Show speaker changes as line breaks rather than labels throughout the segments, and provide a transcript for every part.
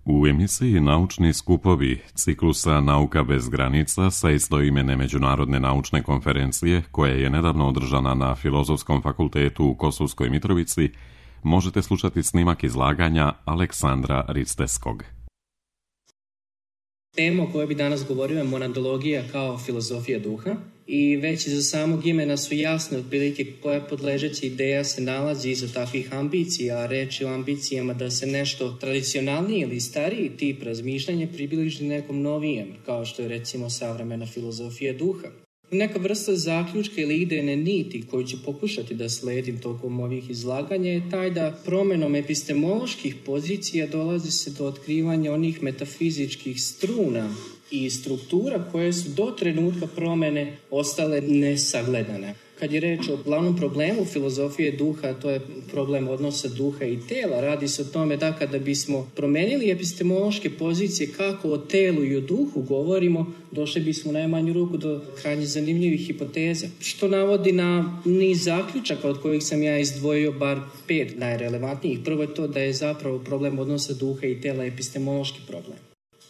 U emisiji Naučni skupovi ciklusa Nauka bez granica sa istoimene međunarodne naučne konferencije, koja je nedavno održana na Filozofskom fakultetu u Kosovskoj Mitrovici, možete slušati snimak izlaganja Aleksandra Risteskog.
Tema o kojoj bi danas govorio je monadologija kao filozofija duha i već za samog imena su jasne otprilike koja podležeća ideja se nalazi iza takvih ambicija, a reč je o ambicijama da se nešto tradicionalniji ili stariji tip razmišljanja približi nekom novijem, kao što je recimo savremena filozofija duha. Neka vrsta zaključka ili idejne niti koju ću pokušati da sledim tokom ovih izlaganja je taj da promenom epistemoloških pozicija dolazi se do otkrivanja onih metafizičkih struna i struktura koje su do trenutka promene ostale nesagledane. Kad je reč o glavnom problemu filozofije duha, to je problem odnosa duha i tela. Radi se o tome da kada bismo promenili epistemološke pozicije kako o telu i o duhu govorimo, došli bismo u najmanju ruku do krajnje zanimljivih hipoteza. Što navodi na niz zaključaka od kojih sam ja izdvojio bar 5 najrelevantnijih. Prvo je to da je zapravo problem odnosa duha i tela epistemološki problem.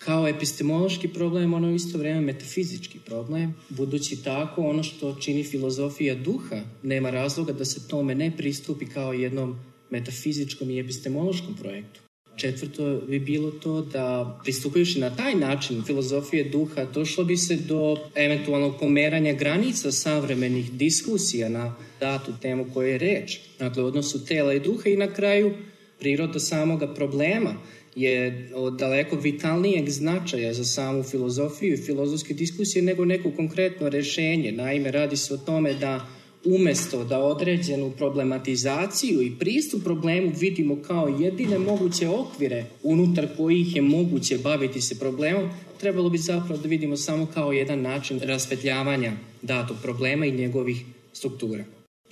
Kao epistemološki problem, ono je isto vrijeme metafizički problem, budući tako ono što čini filozofija duha nema razloga da se tome ne pristupi kao jednom metafizičkom i epistemološkom projektu. Četvrto bi bilo to da, pristupajući na taj način filozofije duha, došlo bi se do eventualnog pomeranja granica savremenih diskusija na datu temu koje je reč, dakle odnosu tela i duha i na kraju priroda samoga problema je od daleko vitalnijeg značaja za samu filozofiju i filozofske diskusije nego neko konkretno rješenje. Naime, radi se o tome da umjesto da određenu problematizaciju i pristup problemu vidimo kao jedine moguće okvire unutar kojih je moguće baviti se problemom, trebalo bi zapravo da vidimo samo kao jedan način rasvetljavanja datog problema i njegovih struktura.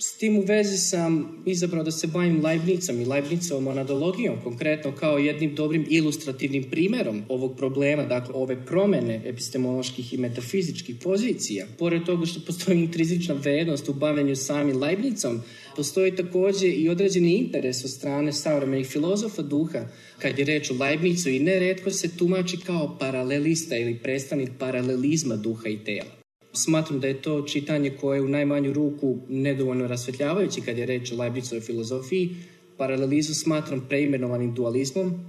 S tim u vezi sam izabrao da se bavim Leibnizom i Leibnizovom monadologijom, konkretno kao jednim dobrim ilustrativnim primjerom ovog problema, dakle ove promjene epistemoloških i metafizičkih pozicija. Pored toga što postoji intrinzična vrednost u bavljenju samim Leibnizom, postoji također i određeni interes od strane savremenih filozofa duha, kad je reč o Leibnizu, i nerijetko se tumači kao paralelista ili predstavnik paralelizma duha i tela. Smatram da je to čitanje koje je u najmanju ruku nedovoljno rasvetljavajući kad je reč o Leibnizovoj filozofiji. Paralelizam smatram preimenovanim dualizmom,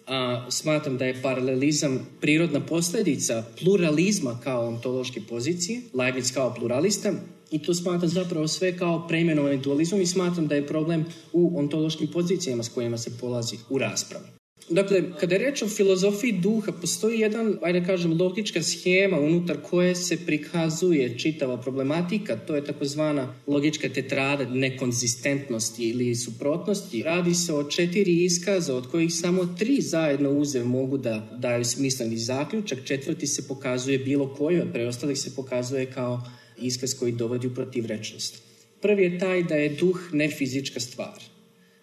a smatram da je paralelizam prirodna posljedica pluralizma kao ontološke pozicije, Leibniz kao pluralista, i to smatram zapravo sve kao preimenovanim dualizmom i smatram da je problem u ontološkim pozicijama s kojima se polazi u raspravi. Dakle, kada je reč o filozofiji duha, postoji jedan, logička schema unutar koje se prikazuje čitava problematika, to je takozvana logička tetrada nekonzistentnosti ili suprotnosti. Radi se o 4 iskaza, od kojih samo 3 zajedno uzev mogu da daju smisleni zaključak, 4. se pokazuje bilo koji, od preostalih se pokazuje kao iskaz koji dovodi u protivrečnost. Prvi je taj da je duh nefizička stvar.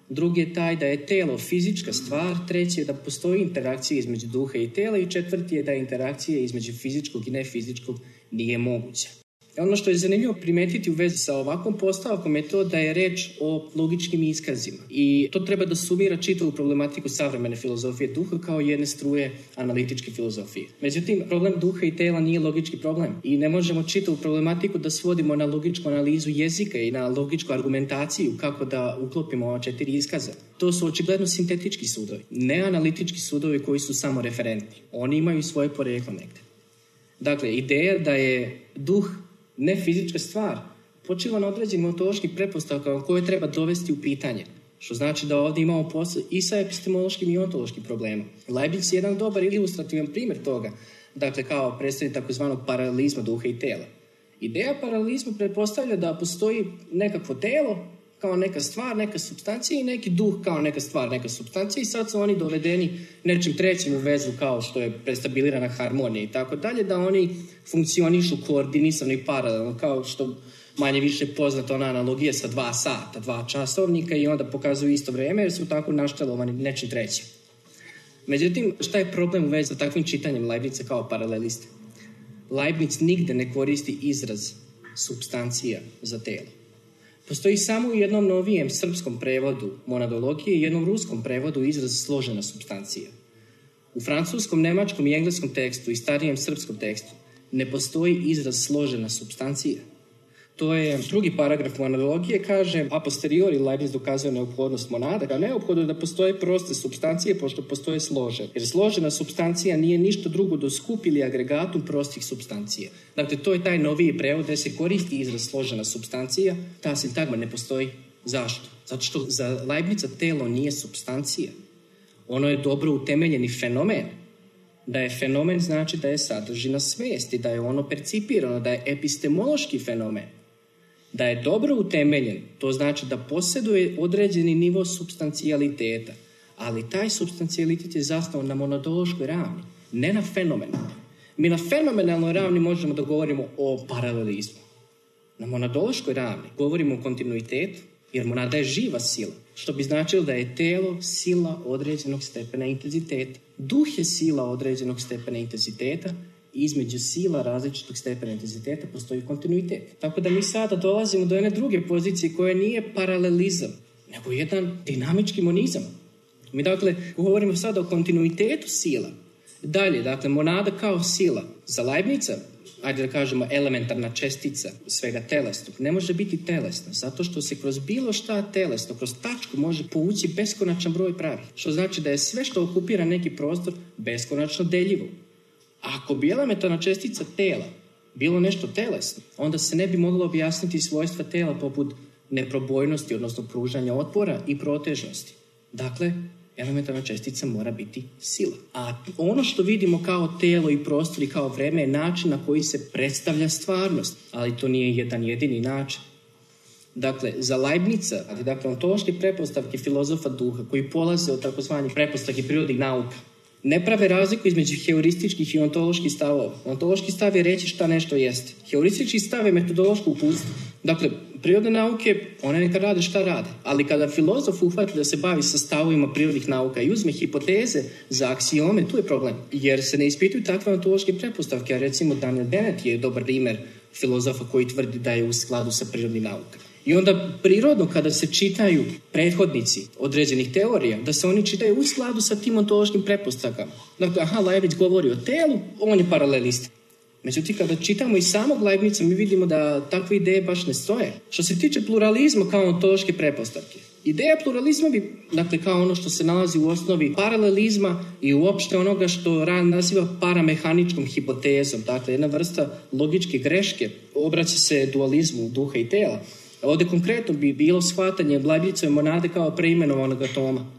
Drugi je taj da je telo fizička stvar, treći je da postoji interakcija između duha i tela i četvrti je da interakcija između fizičkog i nefizičkog nije moguća. Ono što je zanimljivo primetiti u vezi sa ovakvom postavkom je to da je reč o logičkim iskazima i to treba da sumira čitavu problematiku savremene filozofije duha kao jedne struje analitičke filozofije. Međutim, problem duha i tela nije logički problem i ne možemo čitavu problematiku da svodimo na logičku analizu jezika i na logičku argumentaciju kako da uklopimo ova 4 iskaza. To su očigledno sintetički sudovi, ne analitički sudovi koji su samo referentni. Oni imaju svoje poreklo negde. Dakle, ideja da je duh ne fizička stvar počiva na određenim ontološkim pretpostavkama koje treba dovesti u pitanje. Što znači da ovdje imamo posao i sa epistemološkim i ontološkim problemom. Leibniz je jedan dobar ilustrativan primjer toga, dakle kao predstavnik takozvanog paralelizma duha i tela. Ideja paralelizma pretpostavlja da postoji nekakvo telo kao neka stvar, neka supstancija i neki duh kao neka stvar, neka supstancija i sad su oni dovedeni nečim trećim u vezu kao što je prestabilirana harmonija i tako dalje, da oni funkcionišu koordinisano i paralelno, kao što manje više poznata ona analogija sa 2 sata, 2 časovnika i onda pokazuju isto vrijeme jer su tako naštelovani nečim trećim. Međutim, šta je problem u vezi sa takvim čitanjem Leibniza kao paraleliste? Leibniz nigde ne koristi izraz supstancija za telo. Postoji samo u jednom novijem srpskom prevodu monadologije i jednom ruskom prevodu izraz složena supstancija. U francuskom, nemačkom i engleskom tekstu i starijem srpskom tekstu ne postoji izraz složena supstancija. To je drugi paragraf monadologije, kaže a posteriori Leibniz dokazuje neophodnost monada, kao neophodno da postoje proste supstancije pošto postoje složene. Jer složena supstancija nije ništa drugo do skup ili agregatum prostih supstancija. Dakle, to je taj noviji prevod gdje se koristi izraz složena supstancija, ta sintagma ne postoji. Zašto? Zato što za Leibniza telo nije supstancija. Ono je dobro utemeljeni fenomen. Da je fenomen znači da je sadržina svijesti, da je ono percipirano, da je epistemološki fenomen. Da je dobro utemeljen, to znači da posjeduje određeni nivo supstancijaliteta, ali taj supstancijalitet je zasnovan na monadološkoj ravni, ne na fenomenu. Mi na fenomenalnoj ravni možemo da govorimo o paralelizmu. Na monadološkoj ravni govorimo o kontinuitetu, jer monada je živa sila, što bi značilo da je telo sila određenog stepena intenziteta. Duh je sila određenog stepena intenziteta i između sila različitog stepena intenziteta postoji kontinuitet. Tako da mi sada dolazimo do jedne druge pozicije koja nije paralelizam, nego jedan dinamički monizam. Mi dakle govorimo sada o kontinuitetu sila. Dalje, dakle, monada kao sila za Leibniza, ajde da kažemo elementarna čestica svega telesnog, ne može biti telesna, zato što se kroz bilo šta telesno, kroz tačku može povući beskonačan broj pravih. Što znači da je sve što okupira neki prostor beskonačno deljivo. A ako bi elementarna čestica tela bilo nešto telesno, onda se ne bi moglo objasniti svojstva tela poput neprobojnosti, odnosno pružanja otpora i protežnosti. Dakle, elementarna čestica mora biti sila. A ono što vidimo kao telo i prostor i kao vreme je način na koji se predstavlja stvarnost. Ali to nije jedan jedini način. Dakle, za Leibniza, dakle, ontološke pretpostavke filozofa duha koji polaze od takozvanih pretpostavki prirodnih nauka, ne prave razliku između heurističkih i ontoloških stavova. Ontološki stav je reći šta nešto jeste. Heuristički stav je metodološko uputstvo. Dakle, prirodne nauke, one neka rade šta rade. Ali kada filozof uhvati da se bavi sa stavovima prirodnih nauka i uzme hipoteze za aksiome, tu je problem. Jer se ne ispituju takve ontološke pretpostavke. A recimo Daniel Dennett je dobar primjer filozofa koji tvrdi da je u skladu sa prirodnim naukama. I onda prirodno kada se čitaju prethodnici određenih teorija, da se oni čitaju u skladu sa tim ontološkim pretpostavkama. Dakle, Leibniz govori o telu, on je paralelist. Međutim, kada čitamo i samog Leibniza, mi vidimo da takve ideje baš ne stoje. Što se tiče pluralizma kao ontološke pretpostavke, ideja pluralizma bi, dakle, kao ono što se nalazi u osnovi paralelizma i uopšte onoga što Rand naziva paramehaničkom hipotezom, dakle, jedna vrsta logičke greške, obraća se dualizmu duha i tela. Ovdje konkretno bi bilo shvatanje Leibnizove monade kao preimenovanog atoma.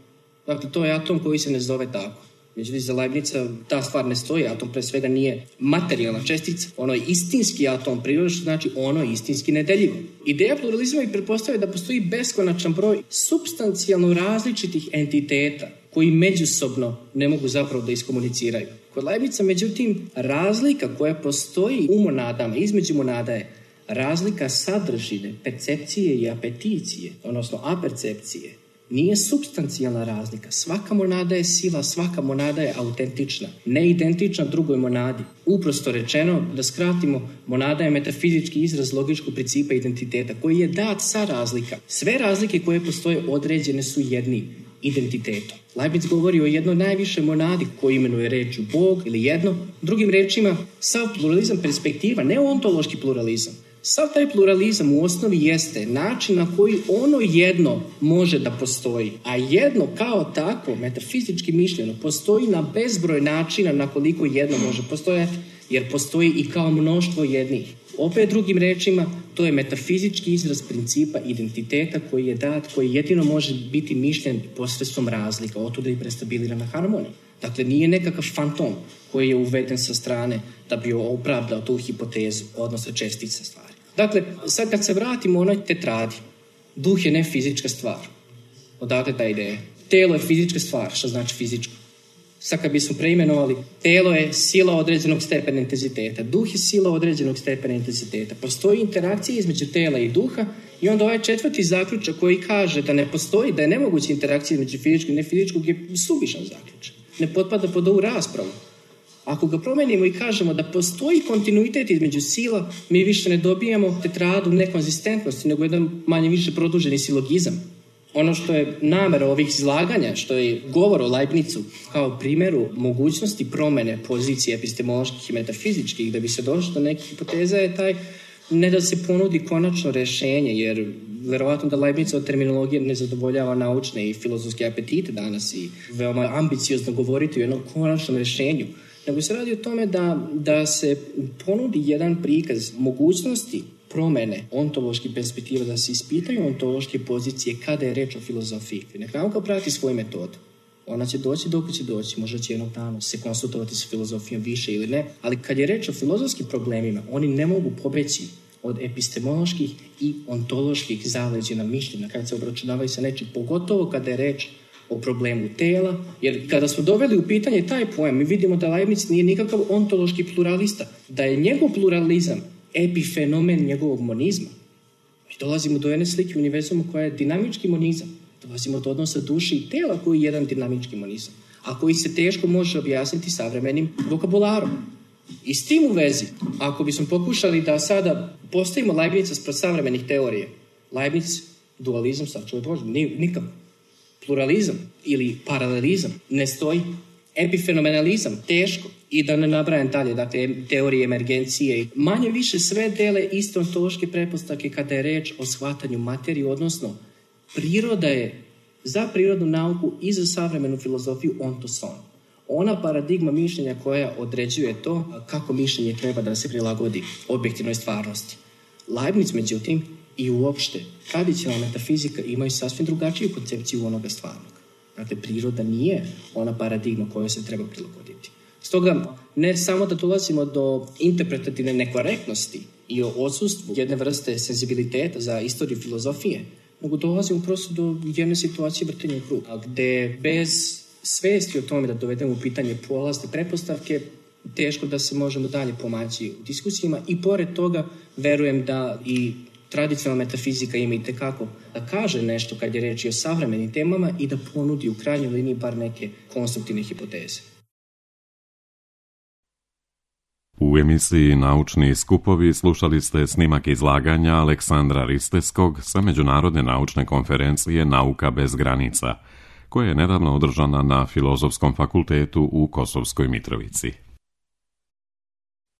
Dakle, to je atom koji se ne zove tako. Međutim, za Leibniza ta stvar ne stoji. Atom pre svega nije materijalna čestica. Ono je istinski atom prirode, što znači ono je istinski nedeljivo. Ideja pluralizma i pretpostavlja da postoji beskonačan broj supstancijalno različitih entiteta koji međusobno ne mogu zapravo da iskomuniciraju. Kod Leibniza, međutim, razlika koja postoji u monadama, između monada je razlika sadržine, percepcije i apeticije, odnosno apercepcije. Nije supstancijalna razlika. Svaka monada je sila, svaka monada je autentična, neidentična drugoj monadi. Uprosto rečeno, da skratimo, monada je metafizički izraz logičkog principa identiteta koji je dat sa razlika. Sve razlike koje postoje određene su jednim identitetom. Leibniz govori o jednoj najviše monadi koju imenuje rečju Bog ili jedno. Drugim rečima, sav pluralizam perspektiva, ne ontološki pluralizam. Sav taj pluralizam u osnovi jeste način na koji ono jedno može da postoji, a jedno kao takvo, metafizički mišljeno, postoji na bezbroj načina na koliko jedno može postojati, jer postoji i kao mnoštvo jednih. Opet drugim rečima, to je metafizički izraz principa identiteta koji je dat, koji jedino može biti mišljen posredstvom razlika, otuda i prestabilirana harmonija. Dakle, nije nekakav fantom koji je uveden sa strane da bi opravdao tu hipotezu, odnosno čestice stvari. Dakle, sad kad se vratimo onoj tetradi, duh je ne fizička stvar. Odakle ta ideja? Telo je fizička stvar, što znači fizičko. Sad kad bismo preimenovali, telo je sila određenog stepena intenziteta, duh je sila određenog stepena intenziteta. Postoji interakcija između tela i duha i onda ovaj četvrti zaključak koji kaže da ne postoji, da je nemoguća interakcija između fizičkog i nefizičkog je suvišan zaključak. Ne potpada pod ovu raspravu. Ako ga promenimo i kažemo da postoji kontinuitet između sila, mi više ne dobijamo tetradu nekonzistentnosti, nego jedan manje više produženi silogizam. Ono što je namera ovih izlaganja, što je govor o Leibnizu kao primjeru mogućnosti promjene pozicije epistemoloških i metafizičkih da bi se došlo do nekih hipoteza je taj ne da se ponudi konačno rješenje, jer verovatno da Leibnizova terminologija ne zadovoljava naučne i filozofske apetite danas i veoma ambiciozno govoriti o jednom konačnom rješenju, nego se radi o tome da se ponudi jedan prikaz mogućnosti promjene ontoloških perspektiva, da se ispitaju ontološke pozicije kada je reč o filozofiji. Neka nauka prati svoju metodu. Ona će doći dok će doći, možda će jednog dana se konsultovati sa filozofijom više ili ne, ali kad je reč o filozofskim problemima, oni ne mogu pobeći od epistemoloških i ontoloških zaleđena mišljenja kada se obračunavaju sa nečim, pogotovo kada je reč o problemu tela, jer kada smo doveli u pitanje taj pojam, mi vidimo da Leibniz nije nikakav ontološki pluralista, da je njegov pluralizam epifenomen njegovog monizma. Mi dolazimo do jedne slike univerzuma koja je dinamički monizam. Dolazimo do odnosa duše i tela koji je jedan dinamički monizam, a koji se teško može objasniti savremenim vokabularom. I s tim u vezi, ako bismo pokušali da sada postavimo Leibniza spred savremenih teorije, Leibniz, dualizam, sačuvaj Bože, nikako. Pluralizam ili paralelizam ne stoji. Epifenomenalizam, teško. I da ne nabrajam dalje, dakle, teorije emergencije. Manje više sve dele iste ontološke pretpostavke kada je reč o shvatanju materije, odnosno priroda je za prirodnu nauku i za savremenu filozofiju ontoson. Ona paradigma mišljenja koja određuje to kako mišljenje treba da se prilagodi objektivnoj stvarnosti. Leibniz, međutim, i uopšte tradicionalna metafizika imaju sasvim drugačiju koncepciju onoga stvarnog. Dakle, priroda nije ona paradigma kojoj se treba prilagoditi. Stoga, ne samo da dolazimo do interpretativne nekorektnosti i o odsustvu jedne vrste senzibiliteta za istoriju filozofije, nego dolazimo prosto do jedne situacije vrtenja u krug, gde bez svesti o tome da dovedemo u pitanje polazne pretpostavke, teško da se možemo dalje pomaći u diskusijama i pored toga verujem da i tradicionalna metafizika ima itekako da kaže nešto kad je reč o savremenim temama i da ponudi u krajnjoj liniji bar neke konstruktivne hipoteze.
U emisiji Naučni skupovi slušali ste snimak izlaganja Aleksandra Risteskog sa Međunarodne naučne konferencije Nauka bez granica, koja je nedavno održana na Filozofskom fakultetu u Kosovskoj Mitrovici.